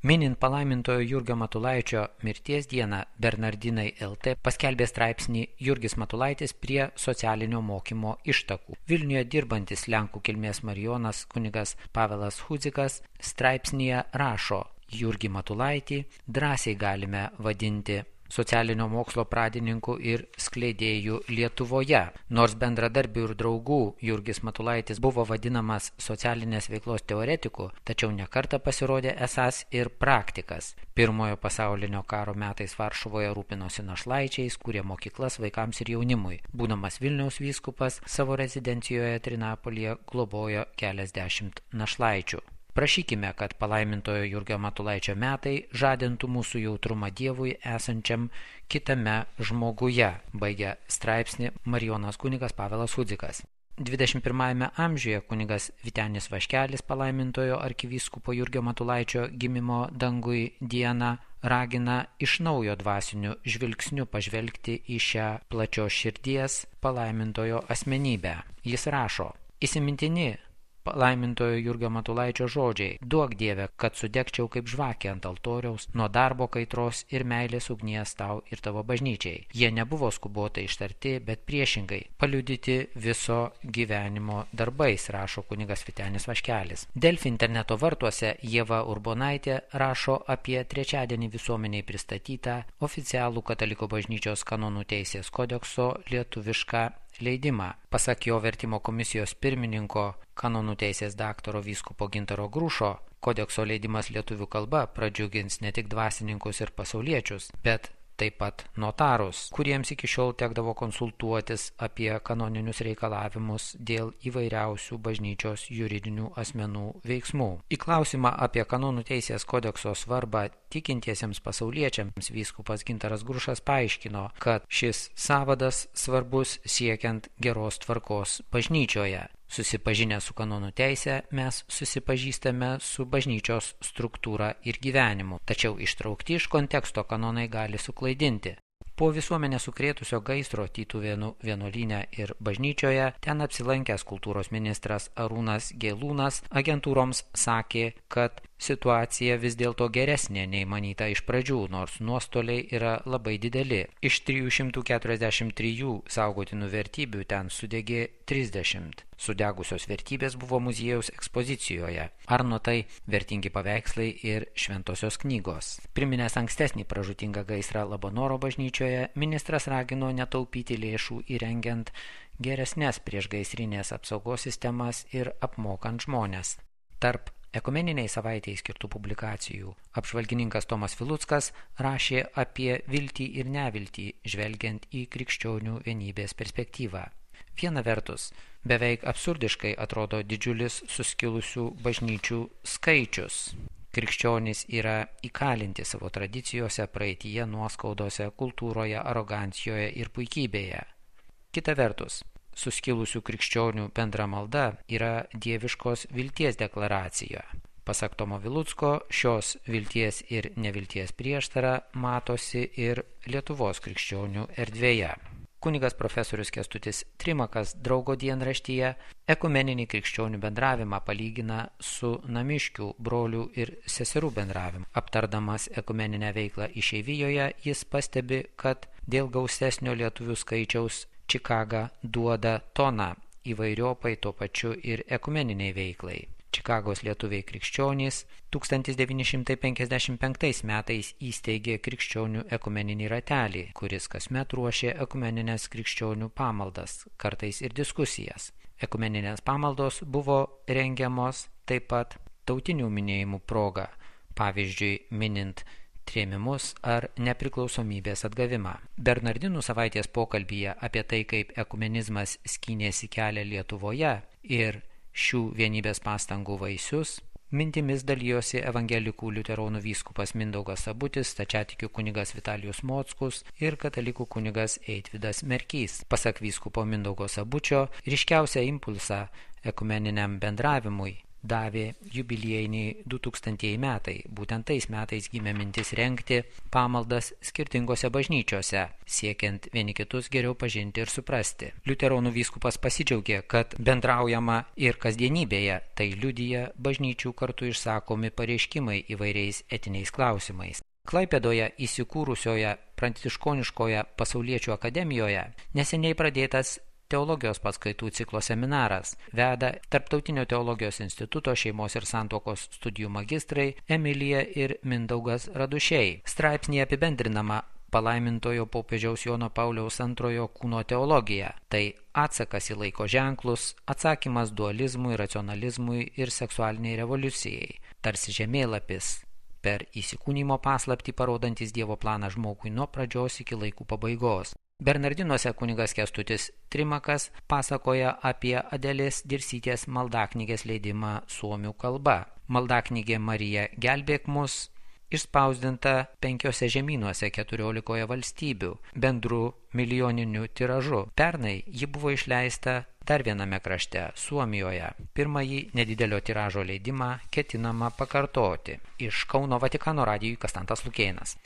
Minint palaimintojo Jurgio Matulaičio mirties dieną, Bernardinai LT paskelbė straipsnį Jurgis Matulaitis prie socialinio mokymo ištakų. Vilniuje dirbantis lenkų kilmės marijonas kunigas Pavelas Hudzikas straipsnyje rašo: Jurgį Matulaitį drąsiai galime vadinti socialinio mokslo pradininku ir skleidėjų Lietuvoje. Nors bendradarbių ir draugų Jurgis Matulaitis buvo vadinamas socialinės veiklos teoretiku, tačiau nekartą pasirodė esąs ir praktikas. Pirmojo pasaulinio karo metais Varšuvoje rūpinosi našlaičiais, kūrė mokyklas vaikams ir jaunimui. Būdamas Vilniaus vyskupas, savo rezidencijoje Trinapolyje globojo keliasdešimt našlaičių. Prašykime, kad palaimintojo Jurgio Matulaičio metai žadintų mūsų jautrumą Dievui esančiam kitame žmoguje, baigia straipsnį marijonas kunigas Pavelas Hudzikas. 21 amžiuje kunigas Vytenis Vaškelis palaimintojo arkivyskupo Jurgio Matulaičio gimimo dangui dieną ragina iš naujo dvasiniu žvilgsniu pažvelgti į šią plačios širdies palaimintojo asmenybę. Jis rašo: įsimintini palaimintojo Jurgio Matulaičio žodžiai: duok Dieve, kad sudegčiau kaip žvakė ant altoriaus nuo darbo kaitros ir meilės ugnies tau ir tavo bažnyčiai. Jie nebuvo skubotai ištarti, bet priešingai paliudyti viso gyvenimo darbais, rašo kunigas Vytenis Vaškelis. Delfi interneto vartuose Ieva Urbonaitė rašo apie trečiadienį visuomeniai pristatytą oficialų katalikų bažnyčios kanonų teisės kodekso lietuvišką leidimą. Pasak jo vertimo komisijos pirmininko, kanonų teisės daktaro vyskupo Gintaro Grušo, kodekso leidimas lietuvių kalba pradžiugins ne tik dvasininkus ir pasauliečius, bet taip pat notarus, kuriems iki šiol tekdavo konsultuotis apie kanoninius reikalavimus dėl įvairiausių bažnyčios juridinių asmenų veiksmų. Į klausimą apie kanonų teisės kodekso svarbą tikintiesiems pasauliečiams vyskupas Gintaras Grušas paaiškino, kad šis sąvadas svarbus siekiant geros tvarkos bažnyčioje. Susipažinę su kanonų teise, mes susipažįstame su bažnyčios struktūra ir gyvenimu, tačiau ištraukti iš konteksto kanonai gali suklaidinti. Po visuomenę sukrėtusio gaisro Tytuvėnų vienuolyne ir bažnyčioje ten apsilankęs kultūros ministras Arūnas Gelūnas agentūroms sakė, kad situacija vis dėlto geresnė nei manyta iš pradžių, nors nuostoliai yra labai dideli. Iš 343 saugotinų vertybių ten sudegė 30. Sudegusios vertybės buvo muziejaus ekspozicijoje. Arno tai vertingi paveikslai ir šventosios knygos. Priminęs ankstesnį pražūtingą gaisrą Labanoro bažnyčioje, ministras ragino netaupyti lėšų įrengiant geresnės priešgaisrinės apsaugos sistemas ir apmokant žmones. Tarp ekumeniniai savaitei skirtų publikacijų apžvalgininkas Tomas Viluckas rašė apie viltį ir neviltį, žvelgiant į krikščionių vienybės perspektyvą. Viena vertus, beveik absurdiškai atrodo didžiulis suskilusių bažnyčių skaičius. Krikščionys yra įkalinti savo tradicijose, praeityje, nuoskaudose, kultūroje, arogancijoje ir puikybėje. Kita vertus, suskilusių krikščionių bendra malda yra dieviškos vilties deklaracija. Pasak Tomo Vilucko, šios vilties ir nevilties prieštara matosi ir Lietuvos krikščionių erdvėje. Kunigas profesorius Kęstutis Trimakas Draugo dienraštyje ekumeninį krikščionių bendravimą palygina su namiškių brolių ir seserų bendravimu. Aptardamas ekumeninę veiklą išeivijoje, jis pastebi, kad dėl gausesnio lietuvių skaičiaus Čikaga duoda toną įvairiopai tuo pačiu ir ekumeniniai veiklai. Čikagos lietuviai krikščionys 1955 metais įsteigė krikščionių ekumeninį ratelį, kuris kasmet ruošė ekumeninės krikščionių pamaldas, kartais ir diskusijas. Ekumeninės pamaldos buvo rengiamos taip pat tautinių minėjimų proga, pavyzdžiui, minint trėmimus ar nepriklausomybės atgavimą. Bernardinų savaitės pokalbyje apie tai, kaip ekumenizmas skynėsi kelią Lietuvoje ir šių vienybės pastangų vaisius, mintimis dalijosi evangelikų liuteronų vyskupas Mindaugas Sabutis, stačiatikių kunigas Vitalijus Mockus ir katalikų kunigas Eitvydas Merkys. Pasak vyskupo Mindaugo Sabučio, ryškiausią impulsą ekumeniniam bendravimui davė jubiliejiniai 2000 metai. Būtent tais metais gimė mintis rengti pamaldas skirtingose bažnyčiose, siekiant vieni kitus geriau pažinti ir suprasti. Liuteronų vyskupas pasidžiaugė, kad bendraujama ir kasdienybėje, tai liudija bažnyčių kartu išsakomi pareiškimai įvairiais etiniais klausimais. Klaipėdoje įsikūrusioje pranciškoniškoje pasauliečių akademijoje neseniai pradėtas teologijos paskaitų ciklo seminaras veda Tarptautinio teologijos instituto šeimos ir santuokos studijų magistrai Emilija ir Mindaugas Radušiai. Straipsnėje apibendrinama palaimintojo popiežiaus Jono Pauliaus II kūno teologija. Tai atsakas į laiko ženklus, atsakymas dualizmui, racionalizmui ir seksualiniai revoliucijai. Tarsi žemėlapis per įsikūnymo paslaptį parodantis Dievo planą žmogui nuo pradžios iki laikų pabaigos. Bernardinuose kunigas Kęstutis Trimakas pasakoja apie Adelės Dirsytės maldaknygės leidimą suomių kalba. Maldaknygė Marija gelbėk mus išspausdinta 5 žemynuose 14 valstybių bendru milijoniniu tiražu. Pernai ji buvo išleista dar viename krašte, Suomijoje. Pirmąjį nedidelio tiražo leidimą ketinama pakartoti. Iš Kauno Vatikano radijui Kastantas Lukėnas.